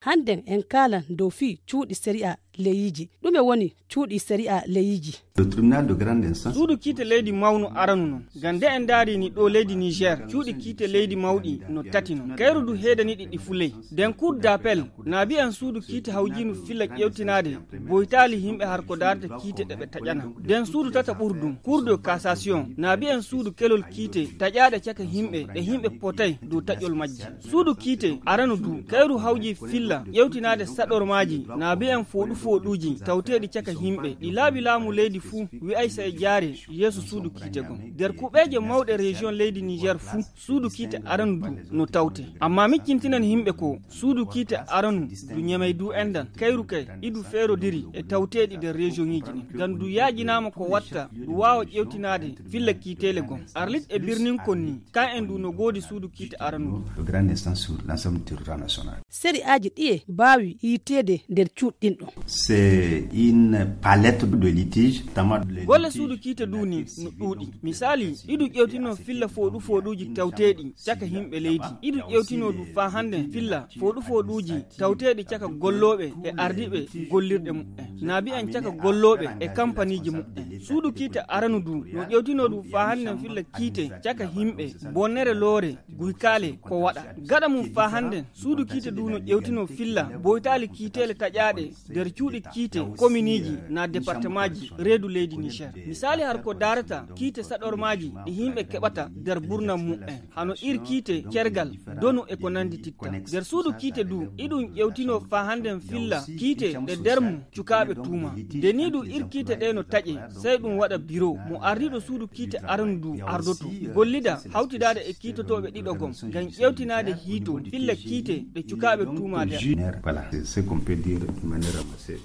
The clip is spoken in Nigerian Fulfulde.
Hannden en kaalan dow fii cuuɗi sariya leyiji. Ɗume woni cuuɗi sariya leyiji? Suudu kiite leydi mawnu aranu non. Gande en daari ni ɗo leydi Niger, cuuɗi kiite leydi mawɗi no tati non. Kayru du heedani ɗiɗi fuley. Den cour d'appel na bi'an suudu kiite hawjinu filla ƴewtinaade boytaali himɓe harko darta kiite ɗe ɓe taƴana. Den suudu tata ɓurdum cour de cassation na bi'an suudu kelol kiite taƴaaɗe caka himɓe e himɓe potay dow taƴol majji. Suudu kiite aranu du kayru hawji filla ƴewtinaade saɗormaaji na bi'an foɗuuji tawteeɗi caka himɓe ɗi laabi laamu leydi fuu wi'ay sa e jaare yeeso suudu kiite gon. Der kuɓeeje mawɗe région leydi Niger fuu suudu kiite aranu du no tawte. Amma miccintinan himɓe ko suudu kiite aranu du ñemey du endan kayru kay idu feerodiri e tawteeɗi der région ŋiji ɗin. Ngam du yaajinaama ko watta du waawa ƴewtinaade filla kiiteele gon. Arlit e birnin konni kan en du no goodi suudu kiite aranu du. Sari'aaji ɗiye baawi yiiteede nder cuuɗɗin ɗo. C'est une palette de litiges. Golle suudu kiite duuni no ɗuuɗi. Misali, idu ƴewtino filla foɗuuji tawteeɗi caka himɓe leydi. Idu ƴewtino du faa hande filla foɗuuji tawteeɗi caka gollooɓe e ardiɓe gollirɗe muɓɓe. Naabi en caka gollooɓe e kampaniji muɓɓe. Suudu kiite aranu du no ƴewtino du faa hande filla kiite caka himɓe bonnere loore guykaale ko waɗa. Gaɗa mum faa hande suudu kiite du no ƴewtino filla boytaali kiiteele taƴaaɗe nder cuuɗi kiite commune na département ji reedu leydi Niger. Misali har ko darata kiite saɗormaaji ɗi himɓe keɓata nder burnam mu'en hano ir kiite cergal donu e ko nandi titta. Nder suudu kiite du iɗum ƴewtino faa handen filla kiite ɗe dermu cukaaɓe tuuma. De ni du ir kiite ɗe no taƴe sey ɗum waɗa bureau mo ardiɗo suudu kiite aranu du ardoto gollida hawtidaade e kiitotoɓe ɗiɗo gom ngam ƴewtinaade hiito filla kiite ɗe cukaaɓe tuuma nder. Voilà, c'est ce qu'on peut dire de manière assez